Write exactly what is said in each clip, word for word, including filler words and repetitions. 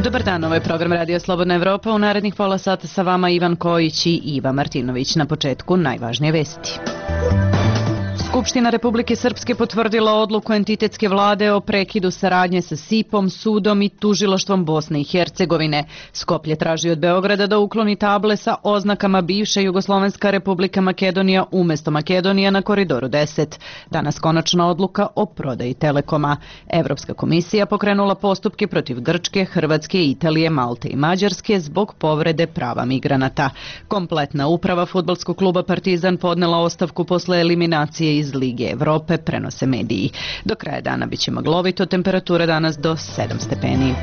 Dobar dan, ovo je program Radio Slobodna Evropa. U narednih pola sata sa vama Ivan Kojić i Iva Martinović. Na početku najvažnije vesti. Skupština Republike Srpske potvrdila odluku entitetske vlade o prekidu saradnje sa S I P-om, sudom i tužilaštvom Bosne i Hercegovine. Skoplje traži od Beograda da ukloni table sa oznakama bivša Jugoslovenska Republika Makedonija umesto Makedonija na Koridoru deset. Danas konačna odluka o prodaji Telekoma. Evropska komisija pokrenula postupke protiv Grčke, Hrvatske, Italije, Malte i Mađarske zbog povrede prava migranata. Kompletna uprava fudbalskog kluba Partizan podnela ostavku posle eliminacije iz Lige Evrope, prenose mediji. Do kraja dana biće maglovito, temperatura danas do sedam stepeni.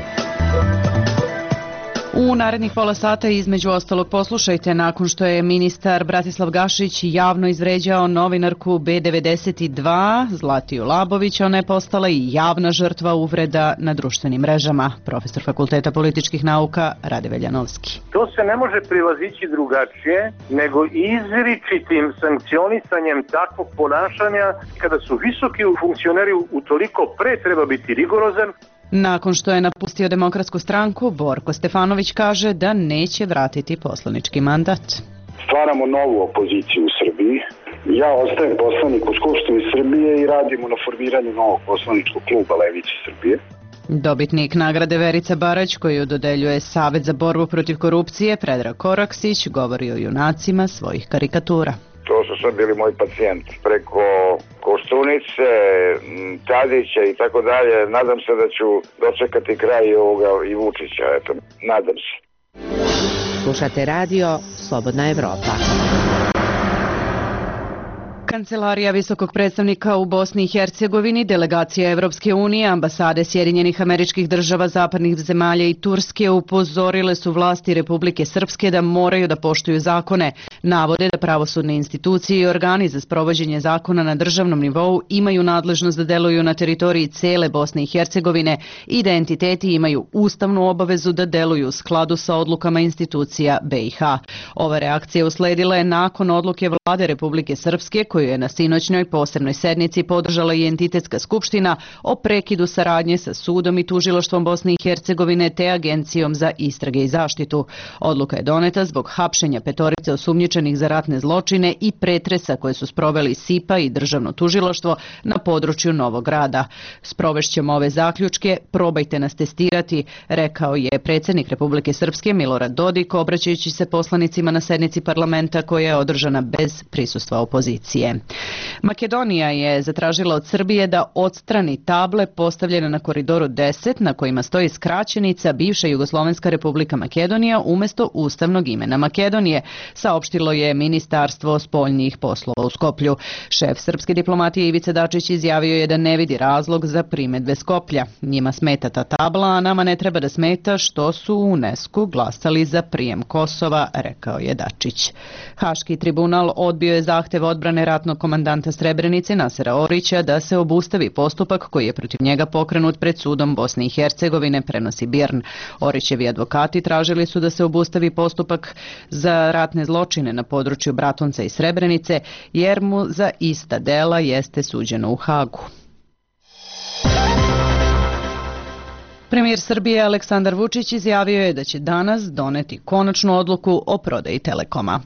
U narednih pola sata između ostalog poslušajte nakon što je ministar Bratislav Gašić javno izvređao novinarku B devedeset dva Zlatiju Labović, ona je postala i javna žrtva uvreda na društvenim mrežama. Profesor Fakulteta političkih nauka Rade Veljanovski. To se ne može prilazići drugačije nego izričitim sankcionisanjem takvog ponašanja. Kada su visoki funkcioneri utoliko pre treba biti rigorozan. Nakon što je napustio Demokratsku stranku, Borko Stefanović kaže da neće vratiti poslanički mandat. Stvaramo novu opoziciju u Srbiji. Ja ostajem poslanik u Skupštini Srbije i radimo na formiranju novog poslaničkog kluba Levice Srbije. Dobitnik nagrade Verica Barać, koju dodeljuje Savet za borbu protiv korupcije, Predrag Koraksić, govori o junacima svojih karikatura. To su sad bili moji pacijenti. Preko Koštunice, Tadića i tako dalje. Nadam se da ću dočekati kraj ovoga i Vučića. Eto, nadam se. Slušate radio Slobodna Evropa. Kancelarija visokog predstavnika u Bosni i Hercegovini, delegacija Evropske unije, ambasade Sjedinjenih Američkih Država, zapadnih zemalja i Turske upozorile su vlasti Republike Srpske da moraju da poštuju zakone. Navode da pravosudne institucije i organi za sprovođenje zakona na državnom nivou imaju nadležnost da deluju na teritoriji cele Bosne i Hercegovine i da entiteti imaju ustavnu obavezu da deluju u skladu sa odlukama institucija B i H. Ova reakcija usledila je nakon odluke vlade Republike Srpske koju je na sinoćnoj posebnoj sednici podržala i entitetska skupština o prekidu saradnje sa sudom i tužilaštvom Bosne i Hercegovine te Agencijom za istrage i zaštitu. Odluka je doneta zbog hapšenja petorice osumnjičenih za ratne zločine i pretresa koje su sproveli S I P a i državno tužilaštvo na području Novog Grada. Sprovešćemo ove zaključke, probajte nas testirati, rekao je predsjednik Republike Srpske Milorad Dodik, obraćajući se poslanicima na sednici parlamenta koja je održana bez prisustva opozicije. Makedonija je zatražila od Srbije da odstrani table postavljene na Koridoru deset na kojima stoji skraćenica bivša Jugoslovenska Republika Makedonija umjesto ustavnog imena Makedonije, saopštilo je Ministarstvo spoljnih poslova u Skoplju. Šef srpske diplomatije Ivica Dačić izjavio je da ne vidi razlog za primedbe Skoplja. Njima smeta ta tabla, a nama ne treba da smeta što su u UNESCO glasali za prijem Kosova, rekao je Dačić. Haški tribunal odbio je zahtev odbrane ratnog komandanta Srebrenice Nasera Orića da se obustavi postupak koji je protiv njega pokrenut pred sudom Bosne i Hercegovine, prenosi Birn. Orićevi advokati tražili su da se obustavi postupak za ratne zločine na području Bratunca i Srebrenice, jer mu za ista dela jeste suđeno u Hagu. Premijer Srbije Aleksandar Vučić izjavio je da će danas doneti konačnu odluku o prodaji Telekoma.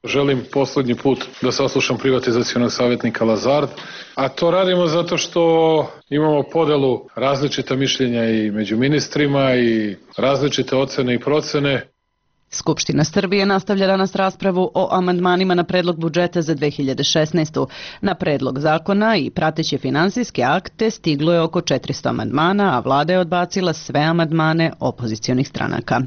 Želim posljednji put da saslušam privatizacionog savjetnika Lazard, a to radimo zato što imamo podelu različita mišljenja i među ministrima i različite ocene i procene. Skupština Srbije nastavlja danas raspravu o amandmanima na predlog budžeta za dve hiljade šesnaestu. Na predlog zakona i prateće finansijske akte stiglo je oko četiristo amandmana, a vlada je odbacila sve amandmane opozicionih stranaka.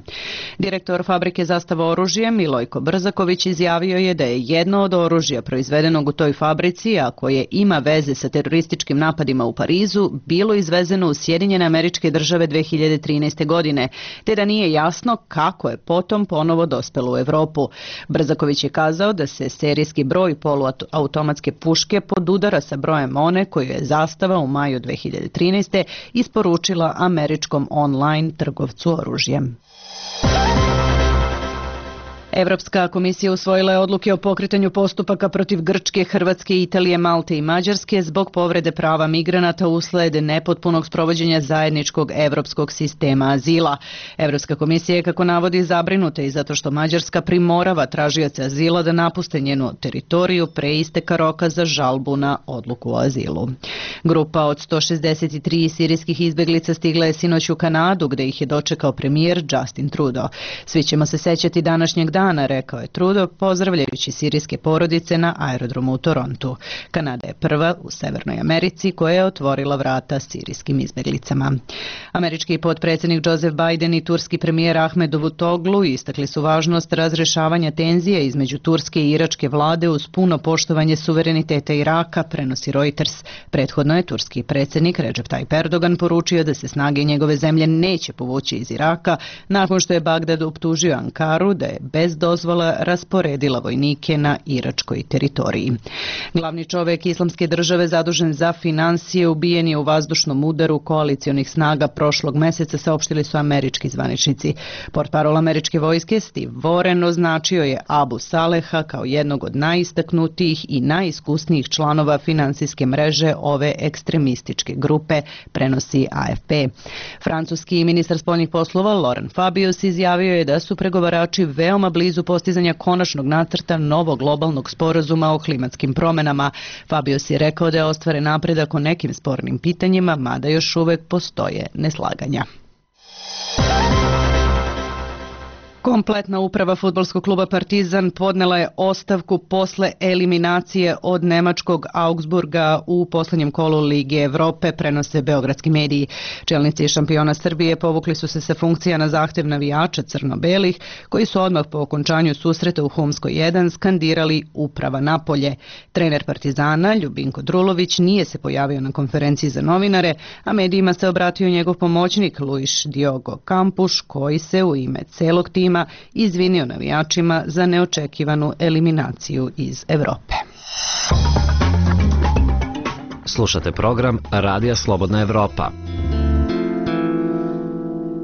Direktor fabrike Zastava oružje Milojko Brzaković izjavio je da je jedno od oružja proizvedenog u toj fabrici, a koje ima veze sa terorističkim napadima u Parizu, bilo izvezeno u Sjedinjene Američke Države dve hiljade trinaeste. godine, te da nije jasno kako je potom ponovo dospelo u Evropu. Brzaković je kazao da se serijski broj poluautomatske puške podudara sa brojem one koju je Zastava u maju dve hiljade trinaeste. isporučila američkom online trgovcu oružjem. Evropska komisija usvojila je odluke o pokretanju postupaka protiv Grčke, Hrvatske, Italije, Malte i Mađarske zbog povrede prava migranata usled nepotpunog sprovođenja zajedničkog evropskog sistema azila. Evropska komisija je, kako navodi, zabrinuta i zato što Mađarska primorava tražioce azila da napuste njenu teritoriju pre isteka roka za žalbu na odluku o azilu. Grupa od sto šezdeset tri sirijskih izbeglica stigla je sinoć u Kanadu, gde ih je dočekao premijer Justin Trudeau. Svi ćemo se sećati današnjeg dana, rekao je Trudeau, pozdravljajući sirijske porodice na aerodromu u Torontu. Kanada je prva u Severnoj Americi koja je otvorila vrata sirijskim izbeglicama. Američki potpredsjednik Joseph Biden i turski premijer Ahmed Davutoglu istakli su važnost razrešavanja tenzije između turske i iračke vlade uz puno poštovanje suvereniteta Iraka, prenosi Reuters. Prethodno je turski predsjednik Recep Tayyip Erdogan poručio da se snage njegove zemlje neće povući iz Iraka nakon što je Bagdad optužio Ankaru da je bez dozvola rasporedila vojnike na iračkoj teritoriji. Glavni čovjek Islamske države zadužen za financije ubijen je u vazdušnom udaru koalicionih snaga prošlog meseca, saopštili su američki zvaničnici. Portparol američke vojske Steve Warren označio je Abu Saleha kao jednog od najistaknutijih i najiskusnijih članova finansijske mreže ove ekstremističke grupe, prenosi A F P. Francuski ministar spoljnih poslova Laurent Fabius izjavio je da su pregovarači veoma blizu postizanja konačnog nacrta novog globalnog sporazuma o klimatskim promenama. Fabius je rekao da je ostvaren napredak o nekim spornim pitanjima, mada još uvek postoje neslaganja. Kompletna uprava fudbalskog kluba Partizan podnela je ostavku posle eliminacije od nemačkog Augsburga u poslednjem kolu Lige Evrope, prenose beogradski mediji. Čelnici šampiona Srbije povukli su se sa funkcija na zahtev navijača crno-belih, koji su odmah po okončanju susreta u Humskoj jedan skandirali uprava napolje. Trener Partizana, Ljubinko Drulović, nije se pojavio na konferenciji za novinare, a medijima se obratio njegov pomoćnik Luis Diogo Campuš, koji se u ime celog tima izvinio navijačima za neočekivanu eliminaciju iz Evrope. Slušate program Radija Slobodna Evropa.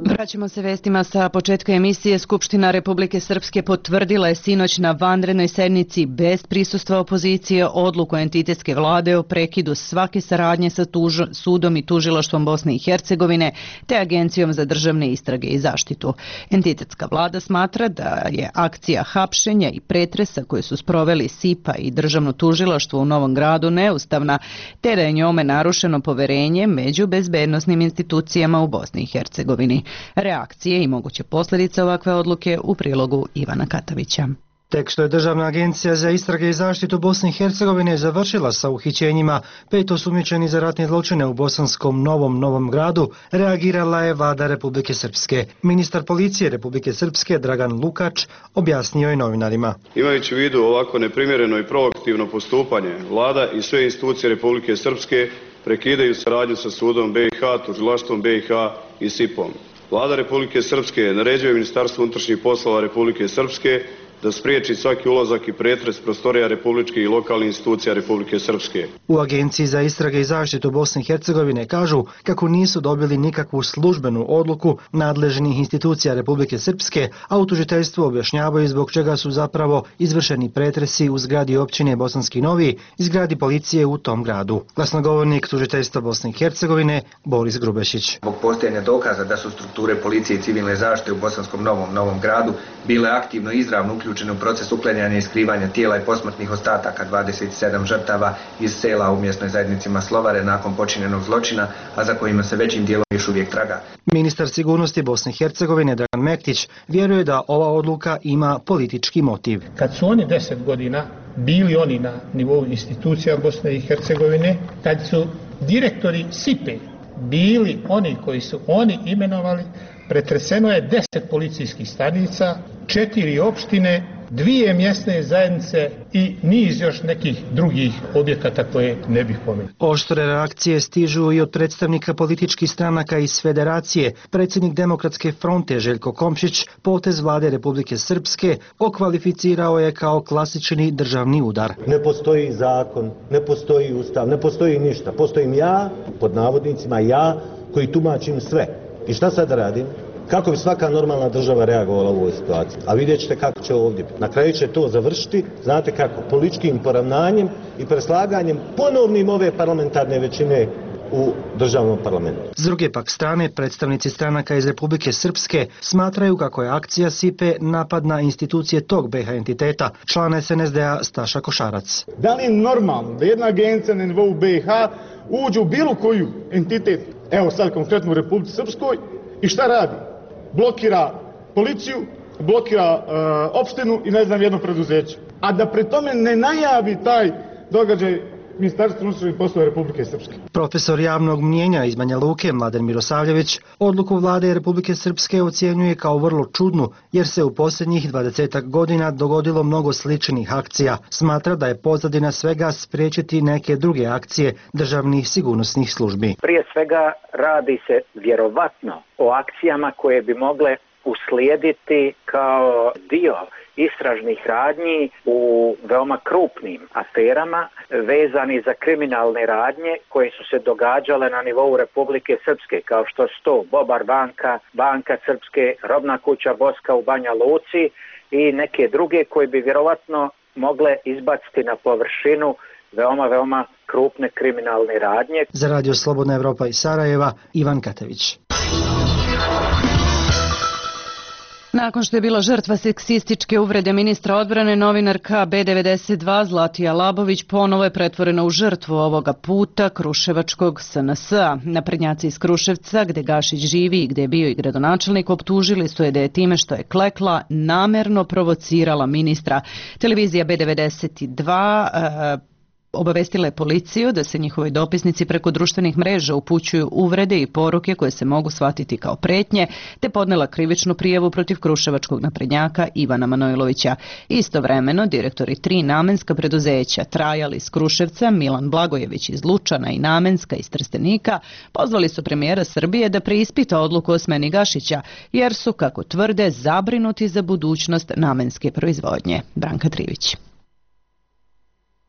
Vraćamo se vestima sa početka emisije. Skupština Republike Srpske potvrdila je sinoć na vanrednoj sednici bez prisustva opozicije odluku entitetske vlade o prekidu svake saradnje sa tuž, sudom i tužilaštvom Bosne i Hercegovine te Agencijom za državne istrage i zaštitu. Entitetska vlada smatra da je akcija hapšenja i pretresa koje su sproveli S I P A i državno tužilaštvo u Novom Gradu neustavna, te da je njome narušeno poverenje među bezbednosnim institucijama u Bosni i Hercegovini. Reakcije i moguće posljedice ovakve odluke u prilogu Ivana Katavića. Tek što je Državna agencija za istrage i zaštitu Bosne i Hercegovine završila sa uhićenjima pet osumnjičenih za ratne zločine u bosanskom Novom Novom Gradu, reagirala je vlada Republike Srpske. Ministar policije Republike Srpske Dragan Lukač objasnio je novinarima. Imajući u vidu ovako neprimjereno i proaktivno postupanje, vlada i sve institucije Republike Srpske prekidaju saradnju sa sudom B i H, tužilaštvom B i H i S I P-om. Vlada Republike Srpske naređuje Ministarstvu unutrašnjih poslova Republike Srpske da spriječi svaki ulazak i pretres prostorija republičkih i lokalnih institucija Republike Srpske. U Agenciji za istrage i zaštitu Bosne i Hercegovine kažu kako nisu dobili nikakvu službenu odluku nadležnih institucija Republike Srpske, a u tužiteljstvu objašnjavaju zbog čega su zapravo izvršeni pretresi u zgradi općine Bosanski Novi i zgradi policije u tom gradu. Glasnogovornik tužiteljstva Bosne i Hercegovine Boris Grubešić. Zbog postojanja dokaza da su strukture policije i civilne zaštite u Bosanskom Novom Novom Gradu bile aktivno i izravno uključene u proces uklanjanja i skrivanja tijela i posmrtnih ostataka dvadeset sedam žrtava iz sela u mjesnoj zajednici Maslovare nakon počinjenog zločina, a za kojima se većim dijelom još uvijek traga. Ministar sigurnosti Bosne i Hercegovine Dragan Mektić vjeruje da ova odluka ima politički motiv. Kad su oni deset godina bili oni na nivou institucija Bosne i Hercegovine, kad su direktori S I P E bili oni koji su oni imenovali, pretreseno je deset policijskih stanica, četiri opštine, dvije mjesne zajednice i niz još nekih drugih objekata koje ne bih pomenuo. Oštre reakcije stižu i od predstavnika političkih stranaka iz Federacije. Predsjednik Demokratske fronte Željko Komšić potez vlade Republike Srpske okvalificirao je kao klasični državni udar. Ne postoji zakon, ne postoji ustav, ne postoji ništa. Postojim ja, pod navodnicima ja, koji tumačim sve. I šta sad radim? Kako bi svaka normalna država reagovala u ovoj situaciji? A vidjet ćete kako će ovdje. Na kraju će to završiti, znate kako, političkim poravnanjem i preslaganjem ponovnim ove parlamentarne većine u državnom parlamentu. S druge pak strane, predstavnici stranaka iz Republike Srpske smatraju kako je akcija S I P E napad na institucije tog B H entiteta, član S N S D A Staša Košarac. Da li je normalno da jedna agencija na nivou B H uđe u bilo koju entitet, evo sad konkretno u Republici Srpskoj, i šta radi? Blokira policiju, blokira uh, opštinu i ne znam jedno preduzeće. A da pri tome ne najavi taj događaj Ministarstvo unutrašnjih poslova Republike Srpske. Profesor javnog mnijenja iz Banja Luke Mladen Mirosavljević odluku vlade Republike Srpske ocjenjuje kao vrlo čudnu jer se u posljednjih dvadesetak godina dogodilo mnogo sličnih akcija. Smatra da je pozadina svega spriječiti neke druge akcije državnih sigurnosnih službi. Prije svega radi se vjerovatno o akcijama koje bi mogle uslijediti kao dio istražnih radnji u veoma krupnim aferama vezani za kriminalne radnje koje su se događale na nivou Republike Srpske, kao što su to Bobar banka, Banka Srpske, Robna kuća Boska u Banja Luci i neke druge koje bi vjerovatno mogle izbaciti na površinu veoma, veoma krupne kriminalne radnje. Za Radio Slobodna Evropa iz Sarajeva, Ivan Katević. Nakon što je bila žrtva seksističke uvrede ministra odbrane, novinarka B devedeset dva Zlatija Labović ponovo je pretvorena u žrtvu, ovoga puta kruševačkog S N S-a. Naprednjaci iz Kruševca, gde Gašić živi i gde je bio i gradonačelnik, optužili su je da je time što je klekla namerno provocirala ministra. Televizija B devedeset dva uh, obavestila je policiju da se njihovoj dopisnici preko društvenih mreža upućuju uvrede i poruke koje se mogu shvatiti kao pretnje, te podnela krivičnu prijavu protiv kruševačkog naprednjaka Ivana Manojlovića. Istovremeno, direktori tri namenska preduzeća, Trajal iz Kruševca, Milan Blagojević iz Lučana i Namenska iz Trstenika, pozvali su premijera Srbije da preispita odluku o smeni Gašića, jer su, kako tvrde, zabrinuti za budućnost namenske proizvodnje. Branka Trivić.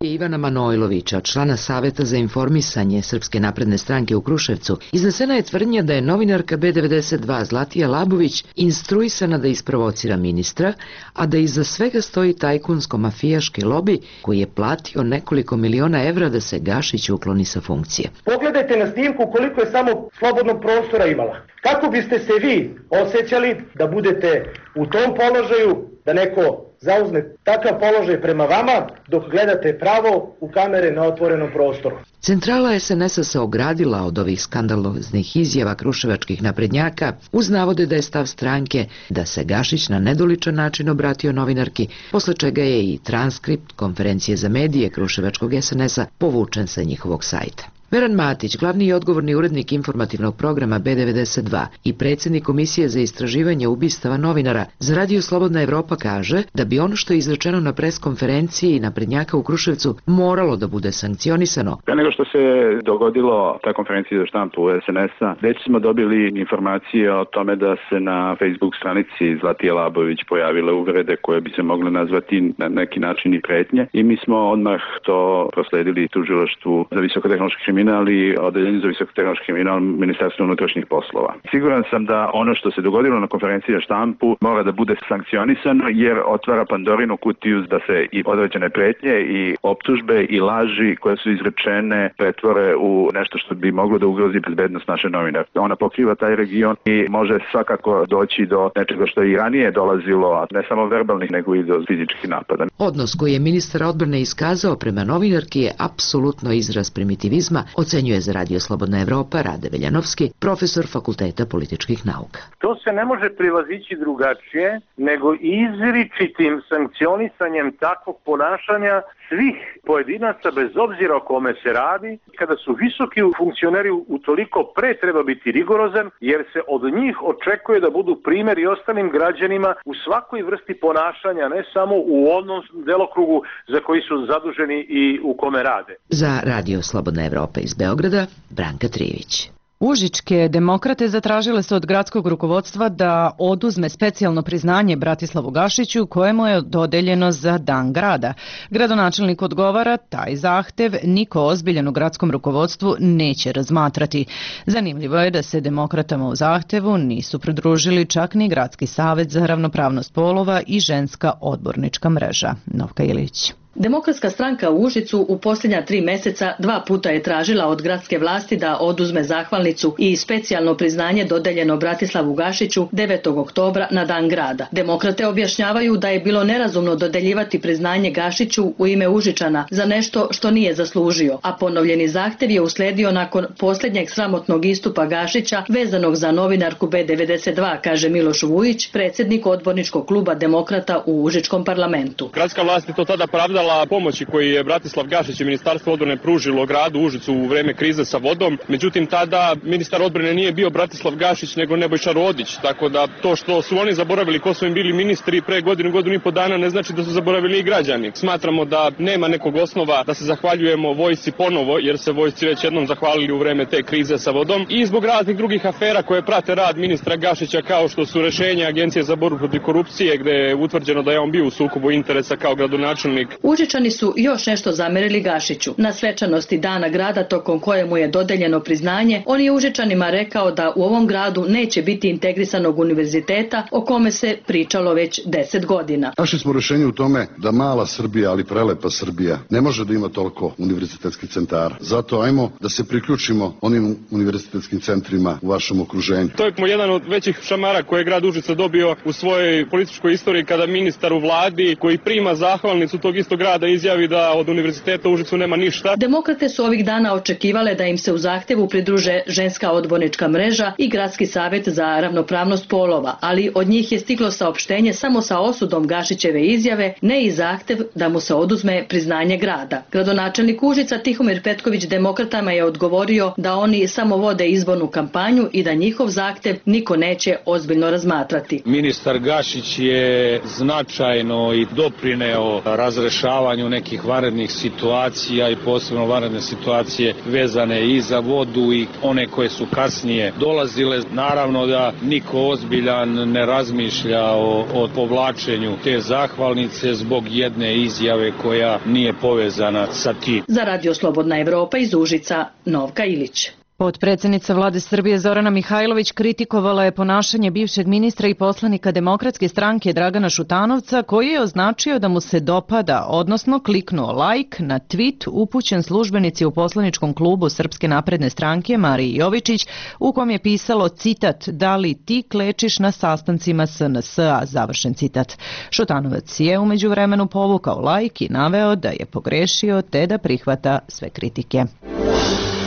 Ivana Manojlovića, člana Saveta za informisanje Srpske napredne stranke u Kruševcu, iznesena je tvrdnja da je novinarka B devedeset dva Zlatija Labović instruisana da isprovocira ministra, a da iza svega stoji tajkunsko-mafijaški lobi koji je platio nekoliko miliona evra da se Gašić ukloni sa funkcije. Pogledajte na snimku koliko je samo slobodnog prostora imala. Kako biste se vi osjećali da budete u tom položaju, da neko zauzme takav položaj prema vama dok gledate pravo u kamere na otvorenom prostoru? Centrala S N S-a se ogradila od ovih skandaloznih izjava kruševačkih naprednjaka uz navode da je stav stranke da se Gašić na nedoličan način obratio novinarki, posle čega je i transkript konferencije za medije kruševačkog S N S-a povučen sa njihovog sajta. Veran Matić, glavni i odgovorni urednik informativnog programa B devedeset dva i predsjednik Komisije za istraživanje ubistava novinara za Radio Slobodna Evropa, kaže da bi ono što je izrečeno na preskonferenciji naprednjaka u Kruševcu moralo da bude sankcionisano. Pre nego što se dogodilo ta konferencija za štampu S N S-a, već smo dobili informacije o tome da se na Facebook stranici Zlatije Labović pojavile uvrede koje bi se mogle nazvati na neki način i pretnje, i mi smo odmah to prosledili tužilaštvu za visokotehnološki kriminal i odeljenju za visokotehnološki kriminal Ministarstva unutrašnjih poslova. Siguran sam da ono što se dogodilo na konferenciji za štampu mora da bude sankcionisano, jer otvara Pandorinu kutiju da se i određene pretnje i optužbe i laži koje su izrečene pretvore u nešto što bi moglo da ugrozi bezbednost naše novinare. Ona pokriva taj region i može svakako doći do nečega što je i ranije dolazilo, a ne samo verbalnih, nego i do fizičkih napada. Odnos koji je ministar odbrane iskazao prema novinarki je apsolutno izraz primitivizma, ocenjuje za Radio Slobodna Evropa Rade Veljanovski, profesor Fakulteta političkih nauka. To se ne može privazići drugačije nego izričitim sankcionisanjem takvog ponašanja svih pojedinaca bez obzira o kome se radi. Kada su visoki funkcioneri, utoliko pre treba biti rigorozan, jer se od njih očekuje da budu primjer i ostalim građanima u svakoj vrsti ponašanja, ne samo u onom delokrugu za koji su zaduženi i u kome rade. Za Radio Slobodna Evropa iz Beograda, Branka Trivić. Užičke demokrate zatražile su od gradskog rukovodstva da oduzme specijalno priznanje Bratislavu Gašiću kojemu je dodeljeno za Dan grada. Gradonačelnik odgovara, taj zahtev niko ozbiljan u gradskom rukovodstvu neće razmatrati. Zanimljivo je da se demokratama u zahtevu nisu pridružili čak ni Gradski savet za ravnopravnost polova i ženska odbornička mreža. Novka Ilić. Demokratska stranka u Užicu u posljednja tri mjeseca dva puta je tražila od gradske vlasti da oduzme zahvalnicu i specijalno priznanje dodeljeno Bratislavu Gašiću devetog oktobra na Dan grada. Demokrate objašnjavaju da je bilo nerazumno dodeljivati priznanje Gašiću u ime Užičana za nešto što nije zaslužio, a ponovljeni zahtjev je uslijedio nakon posljednjeg sramotnog istupa Gašića vezanog za novinarku B devedeset dva, kaže Miloš Vujić, predsjednik odborničkog kluba demokrata u Užičkom parlamentu. Gradska vlast je to tada pravdala pomoći koji je Bratislav Gašić i Ministarstvo odbrane pružilo gradu Užicu u vreme krize sa vodom. Međutim, tada ministar odbrane nije bio Bratislav Gašić nego Nebojša Rodić, tako da to što su oni zaboravili ko su im bili ministri pre godinu, godinu i po dana ne znači da su zaboravili i građani. Smatramo da nema nekog osnova da se zahvaljujemo vojsci ponovo, jer se vojsci već jednom zahvalili u vreme te krize sa vodom, i zbog raznih drugih afera koje prate rad ministra Gašića, kao što su rešenja Agencije za borbu protiv korupcije, gde je utvrđeno da je on bio u sukobu interesa kao gradonačelnik. Užičani su još nešto zamerili Gašiću. Na svečanosti Dana grada tokom kojemu je dodeljeno priznanje, on je Užičanima rekao da u ovom gradu neće biti integrisanog univerziteta o kome se pričalo već deset godina. Našli smo rješenje u tome da mala Srbija, ali prelepa Srbija, ne može da ima toliko univerzitetskih centara. Zato ajmo da se priključimo onim univerzitetskim centrima u vašem okruženju. To je jedan od većih šamara koje je grad Užice dobio u svojoj političkoj istoriji, kada ministar u vladi koji prima zahvalnicu tog istog grada izjavi da od univerziteta u Užicu nema ništa. Demokrate su ovih dana očekivale da im se u zahtjevu pridruže ženska odbornička mreža i Gradski savjet za ravnopravnost polova, ali od njih je stiglo saopštenje samo sa osudom Gašićeve izjave, ne i zahtjev da mu se oduzme priznanje grada. Gradonačelnik Užica Tihomir Petković demokratama je odgovorio da oni samo vode izbornu kampanju i da njihov zahtjev niko neće ozbiljno razmatrati. Ministar Gašić je značajno i doprineo razrešavanju nekih vanrednih situacija i posebno vanredne situacije vezane i za vodu i one koje su kasnije dolazile. Naravno da niko ozbiljan ne razmišlja o, o povlačenju te zahvalnice zbog jedne izjave koja nije povezana sa tim. Za Radio Slobodna Evropa iz Užica, Novka Ilić. Potpredsjednica vlade Srbije Zorana Mihajlović kritikovala je ponašanje bivšeg ministra i poslanika Demokratske stranke Dragana Šutanovca, koji je označio da mu se dopada, odnosno kliknuo like na tweet upućen službenici u poslaničkom klubu Srpske napredne stranke Mariji Jovičić, u kom je pisalo, citat, da li ti klečiš na sastancima S N S-a, završen citat. Šutanovac je u međuvremenu povukao like i naveo da je pogrešio te da prihvata sve kritike.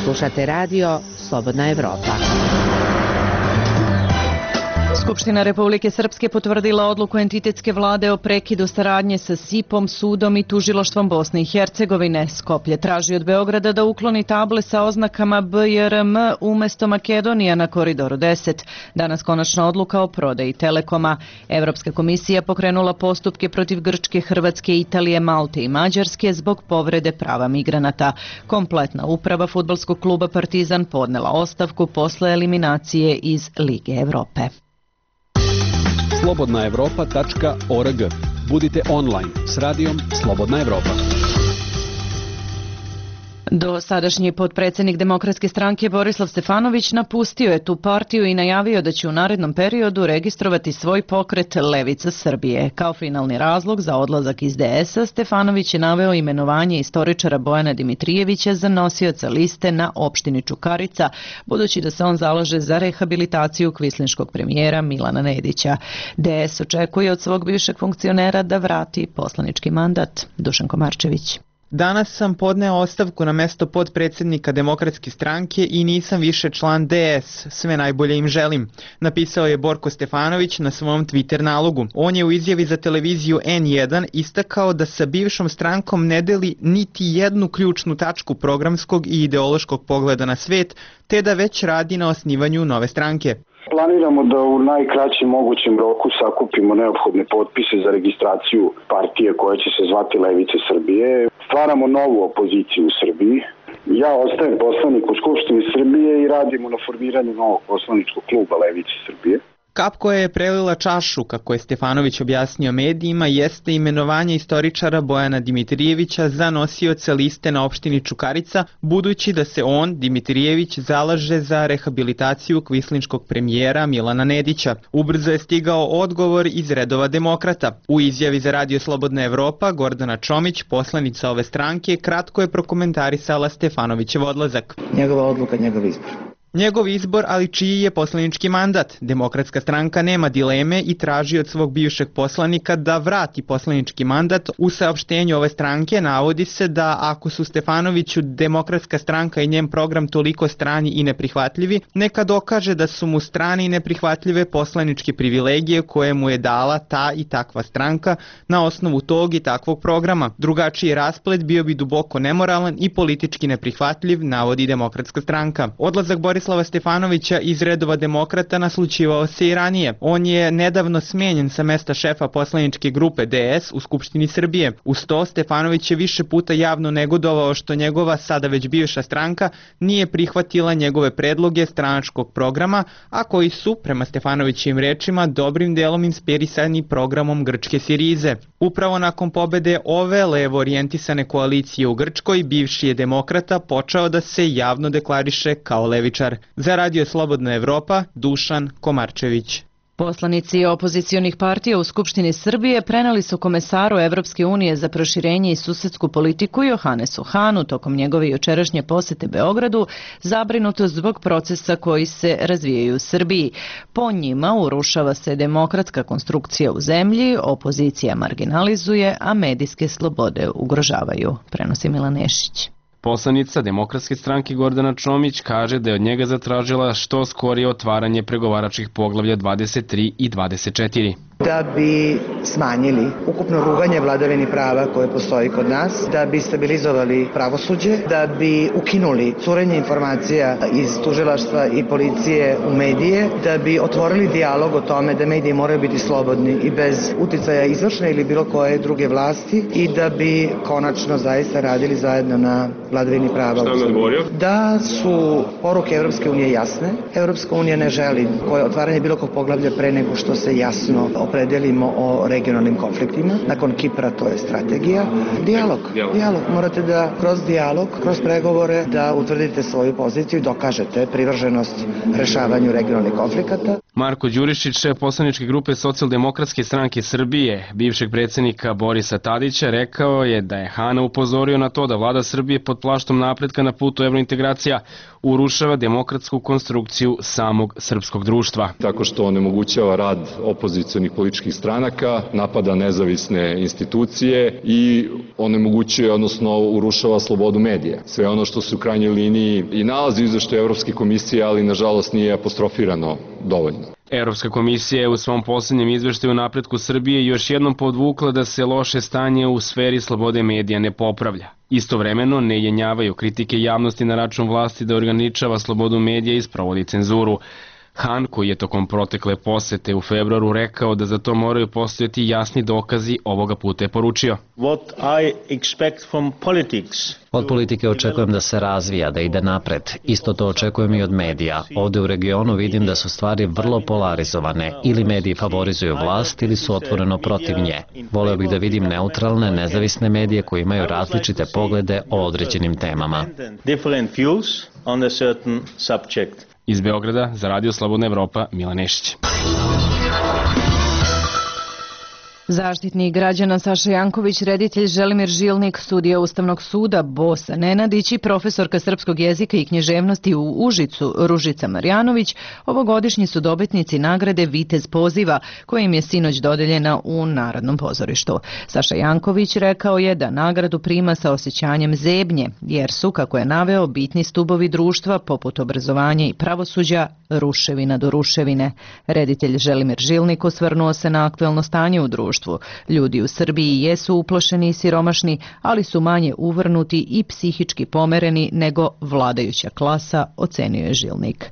Slušate radio Slobodna Evropa. Skupština Republike Srpske potvrdila odluku entitetske vlade o prekidu saradnje sa S I P-om, sudom i tužilaštvom Bosne i Hercegovine. Skoplje traži od Beograda da ukloni table sa oznakama B J R M umesto Makedonija na Koridoru deset. Danas konačna odluka o prodaji Telekoma. Evropska komisija pokrenula postupke protiv Grčke, Hrvatske, Italije, Malte i Mađarske zbog povrede prava migranata. Kompletna uprava fudbalskog kluba Partizan podnela ostavku posle eliminacije iz Lige Evrope. slobodna evropa tačka org. Budite online s radijom Slobodna Evropa. Do sadašnji potpredsjednik Demokratske stranke Borislav Stefanović napustio je tu partiju i najavio da će u narednom periodu registrovati svoj pokret Levica Srbije. Kao finalni razlog za odlazak iz D S-a Stefanović je naveo imenovanje istoričara Bojana Dimitrijevića za nosioca liste na opštini Čukarica, budući da se on zalaže za rehabilitaciju kvislinškog premijera Milana Nedića. D S očekuje od svog bivšeg funkcionera da vrati poslanički mandat. Dušan Komarčević. Danas sam podneo ostavku na mesto potpredsjednika Demokratske stranke i nisam više član D S. Sve najbolje im želim, napisao je Borko Stefanović na svom Twitter nalogu. On je u izjavi za televiziju N jedan istakao da sa bivšom strankom ne deli niti jednu ključnu tačku programskog i ideološkog pogleda na svet, te da već radi na osnivanju nove stranke. Planiramo da u najkraćem mogućem roku sakupimo neophodne potpise za registraciju partije koja će se zvati Levice Srbije. Stvaramo novu opoziciju u Srbiji. Ja ostajem poslanik u Skupštini Srbije i radimo na formiranju novog poslaničkog kluba Levice Srbije. Kap koja je prelila čašu, kako je Stefanović objasnio medijima, jeste imenovanje istoričara Bojana Dimitrijevića za nosioca liste na opštini Čukarica, budući da se on, Dimitrijević, zalaže za rehabilitaciju kvislinškog premijera Milana Nedića. Ubrzo je stigao odgovor iz redova demokrata. U izjavi za Radio Slobodna Evropa, Gordana Čomić, poslanica ove stranke, kratko je prokomentarisala Stefanovićev odlazak. Njegova odluka, njegov izbor. Njegov izbor, ali čiji je poslanički mandat. Demokratska stranka nema dileme i traži od svog bivšeg poslanika da vrati poslanički mandat. U saopštenju ove stranke navodi se da ako su Stefanoviću Demokratska stranka i njen program toliko strani i neprihvatljivi, neka dokaže da su mu strani i neprihvatljive poslaničke privilegije koje mu je dala ta i takva stranka na osnovu tog i takvog programa. Drugačiji rasplet bio bi duboko nemoralan i politički neprihvatljiv, navodi Demokratska stranka. Odlazak Borislava Stefanovića iz redova demokrata naslućivao se i ranije. On je nedavno smenjen sa mesta šefa poslaničke grupe D S u Skupštini Srbije. Uz to, Stefanović je više puta javno negodovao što njegova sada već bivša stranka nije prihvatila njegove predloge stranačkog programa, a koji su, prema Stefanovićim rečima, dobrim delom inspirisani programom grčke Sirize. Upravo nakon pobede ove levo orijentisane koalicije u Grčkoj, bivši je demokrata počeo da se javno deklariše kao levičar. Za Radio Slobodna Evropa, Dušan Komarčević. Poslanici opozicionih partija u Skupštini Srbije preneli su komesaru Evropske unije za proširenje i susedsku politiku Johanesu Hanu tokom njegove jučerašnje posete Beogradu zabrinutost zbog procesa koji se razvijaju u Srbiji. Po njima urušava se demokratska konstrukcija u zemlji, opozicija marginalizuje, a medijske slobode ugrožavaju, prenosi Milan Nešić. Poslanica Demokratske stranke Gordana Čomić kaže da je od njega zatražila što skorije otvaranje pregovaračkih poglavlja dvadeset tri i dvadeset četiri. Da bi smanjili ukupno ruganje vladavini prava koje postoji kod nas, da bi stabilizovali pravosuđe, da bi ukinuli curenje informacija iz tužilaštva i policije u medije, da bi otvorili dijalog o tome da mediji moraju biti slobodni i bez uticaja izvršne ili bilo koje druge vlasti i da bi konačno zaista radili zajedno na vladavini prava. Šta je odgovorio? Da su poruke Evropske unije jasne. Evropska unija ne želi koje otvaranje bilo kog poglavlja pre nego što se jasno opredelimo o regionalnim konfliktima. Nakon Kipra to je strategija. Dijalog. Dijalog. Dijalog. Morate da kroz dijalog, kroz pregovore da utvrdite svoju poziciju i dokažete privrženost rešavanju regionalnih konflikata. Marko Đurišić, šef poslaničke grupe Socijaldemokratske stranke Srbije, bivšeg predsjednika Borisa Tadića, rekao je da je Hana upozorio na to da vlada Srbije pod plaštom napretka na putu evrointegracija urušava demokratsku konstrukciju samog srpskog društva. Tako što onemogućava rad opozicionih političkih stranaka, napada nezavisne institucije i onemogućuje, odnosno urušava slobodu medija. Sve ono što se u krajnjoj liniji i nalazi u izveštaju Evropske komisije, ali nažalost nije apostrofirano dovoljno. Evropska komisija je u svom posljednjem izveštaju o napretku Srbije još jednom podvukla da se loše stanje u sferi slobode medija ne popravlja. Istovremeno ne jenjavaju kritike javnosti na račun vlasti da ograničava slobodu medija i sprovodi cenzuru. Han, koji je tokom protekle posete u februaru rekao da za to moraju postojati jasni dokazi, ovoga puta je poručio. Od politike očekujem da se razvija, da ide napred. Isto to očekujem i od medija. Ovde u regionu vidim da su stvari vrlo polarizovane. Ili mediji favorizuju vlast ili su otvoreno protiv nje. Voleo bih da vidim neutralne, nezavisne medije koji imaju različite poglede o određenim temama. Iz Beograda za Radio Slobodna Evropa, Milan Nešić. Zaštitnik građana Saša Janković, reditelj Želimir Žilnik, sudija Ustavnog suda Bosa Nenadić i profesorka srpskog jezika i književnosti u Užicu Ružica Marjanović ovogodišnji su dobitnici nagrade Vitez poziva, koja im je sinoć dodeljena u Narodnom pozorištu. Saša Janković rekao je da nagradu prima sa osjećanjem zebnje, jer su, kako je naveo, bitni stubovi društva poput obrazovanja i pravosuđa ruševina do ruševine. Reditelj Želimir Žilnik osvrnuo se na aktuelno stanje u društvu. Ljudi u Srbiji jesu uplošeni i siromašni, ali su manje uvrnuti i psihički pomereni nego vladajuća klasa, ocenio je Žilnik.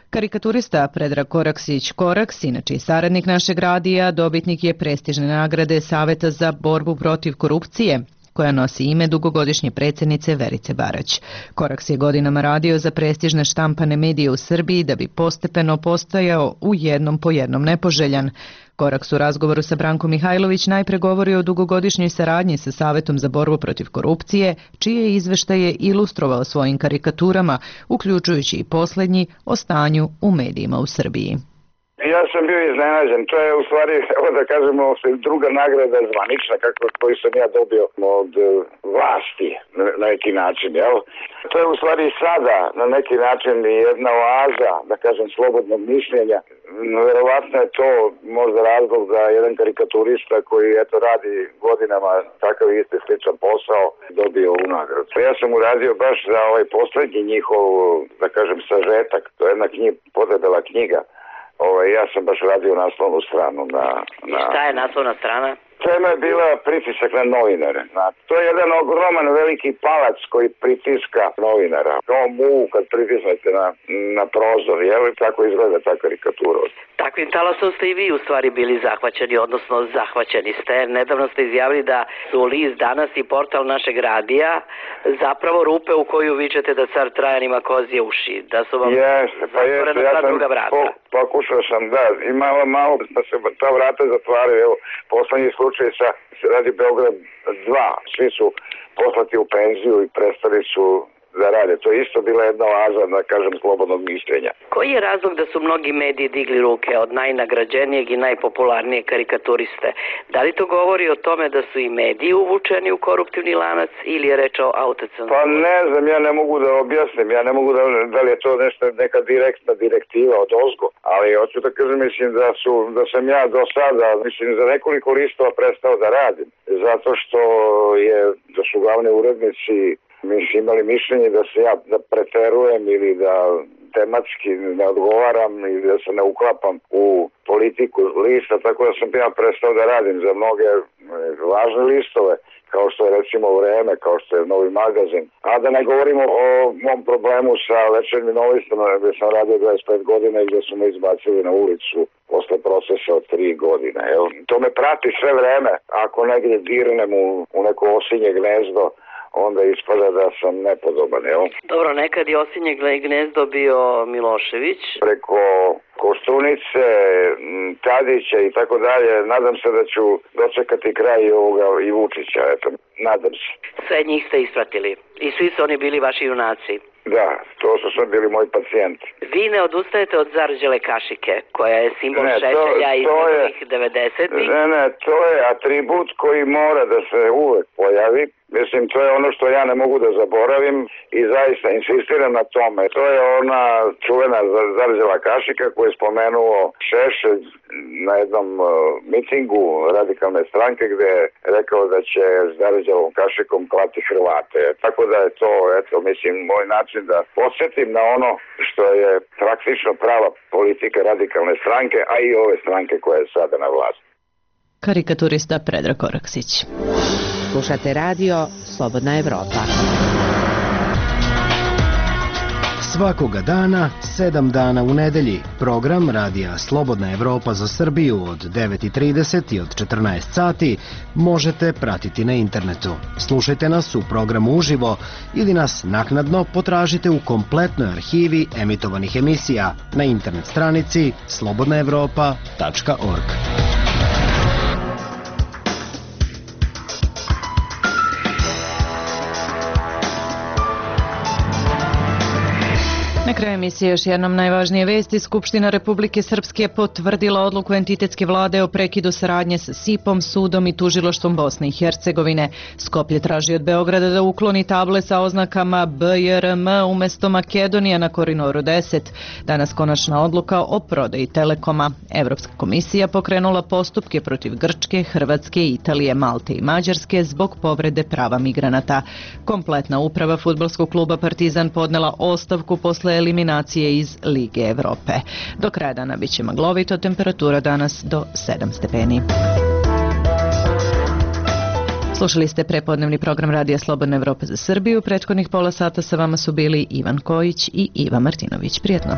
Karikaturista Predrag Koraksić-Koraks, inače i saradnik našeg radija, dobitnik je prestižne nagrade Saveta za borbu protiv korupcije. koja nosi ime dugogodišnje predsjednice Verice Barać. Koraks je godinama radio za prestižne štampane medije u Srbiji da bi postepeno postajao u jednom po jednom nepoželjan. Koraks u razgovoru sa Brankom Mihajlović najpre govori o dugogodišnjoj saradnji sa Savetom za borbu protiv korupcije, čije izveštaje ilustrovao svojim karikaturama, uključujući i posljednji o stanju u medijima u Srbiji. Ja sam bio iznenađen. To je u stvari, evo da kažemo, druga nagrada zvanična kako, koju sam ja dobio od vlasti na neki način. Jel? To je u stvari sada na neki način jedna oaza, da kažem, slobodnog mišljenja. Verovatno je to možda razlog da jedan karikaturista koji eto radi godinama takav isti sličan posao dobio ovu nagradu. Ja sam uradio baš za ovaj poslednji njihov, da kažem, sažetak. To je jedna knjiga, podebela knjiga. Ovaj, ja sam baš radio naslovnu stranu na, na... I šta je naslovna strana? Tema je bila pritisak na novinare. Na, to je jedan ogroman veliki palac koji pritiska novinara. Kao mu kad pritisnete na, na prozor, jel? Tako izgleda ta karikatura. Takvim talasom ste i vi u stvari bili zahvaćeni, odnosno zahvaćeni ste. Nedavno ste izjavili da su list Danas i portal našeg radija zapravo rupe u koju vičete da car Trajan ima kozije uši. Da su vam jeste, pa jeste, ja sam druga vrata. Po, pokušao sam, da, i malo, malo da se ta vrata zatvaraju. Evo, poslednji slučaj sa Radio Beograd dva, svi su poslati u penziju i prestali su da rade. To je isto bila jedna oaza, da kažem, slobodnog mišljenja. Koji je razlog da su mnogi mediji digli ruke od najnagrađenijeg i najpopularnijeg karikaturiste? Da li to govori o tome da su i mediji uvučeni u koruptivni lanac ili je reč o autocenzuri? Pa ne znam, ja ne mogu da objasnim, ja ne mogu da, da li je to nešto, neka direktna direktiva od ozgo, ali hoću da kažem, mislim da, su, da sam ja do sada, mislim, za nekoliko listova prestao da radim, zato što je, da su glavni urednici mislim, imali mišljenje da se ja da preterujem ili da tematski ne odgovaram ili da se ne uklapam u politiku lista, tako da sam ja prestao da radim za mnoge važne listove, kao što je recimo Vreme, kao što je Novi magazin. A da ne govorimo o mom problemu sa Večernjim novistom, gdje sam radio dvadeset pet godina i gdje su me izbacili na ulicu posle procesa od tri godine. Evo, to me prati sve vreme. Ako negdje dirnem u, u neko osinje gnezdo, onda ispada da sam nepodoban, evo. Dobro, nekad je osinje gnezdo bio Milošević. Preko Koštunice, Tadića i tako dalje, nadam se da ću dočekati kraj ovoga i Vučića, eto, nadam se. Sve njih ste ispratili i svi su oni bili vaši junaci. Da, to su sve bili moji pacijenti. Vi ne odustajete od zarđele kašike, koja je simbol ne, šešelja iz prvih devedesetih. Ne, ne, to je atribut koji mora da se uvek pojavi. Mislim, to je ono što ja ne mogu da zaboravim i zaista insistiram na tome. To je ona čuvena zarđela kašika koju je spomenuo Šešelj na jednom uh, mitingu radikalne stranke gde je rekao da će zarđelom kašikom klati Hrvate. Tako da je to, eto, mislim, moj način da podsjetim na ono što je praktično prava politika radikalne stranke, a i ove stranke koja je sada na vlasti. Karikaturista Predrag Koraksić. Slušate radio Slobodna Evropa. Svakoga dana, sedam dana u nedelji, program radija Slobodna Evropa za Srbiju od devet i trideset i od četrnaest sati možete pratiti na internetu. Slušajte nas u programu uživo ili nas naknadno potražite u kompletnoj arhivi emitovanih emisija na internet stranici slobodna evropa tačka org. Na kraju emisije još jednom najvažnije vesti. Skupština Republike Srpske potvrdila odluku entitetske vlade o prekidu saradnje sa S I P-om, sudom i tužilaštvom Bosne i Hercegovine. Skoplje traži od Beograda da ukloni table sa oznakama B J R M umesto Makedonija na Koridoru deset. Danas konačna odluka o prodaji Telekoma. Evropska komisija pokrenula postupke protiv Grčke, Hrvatske, Italije, Malte i Mađarske zbog povrede prava migranata. Kompletna uprava fudbalskog kluba Partizan podnela ostavku posle eliminacije iz Lige Evrope. Do kraja dana bit će maglovito, temperatura danas do sedam stepeni. Slušali ste prepodnevni program Radija Slobodna Evropa za Srbiju. Prethodnih pola sata sa vama su bili Ivan Kojić i Iva Martinović. Prijetno.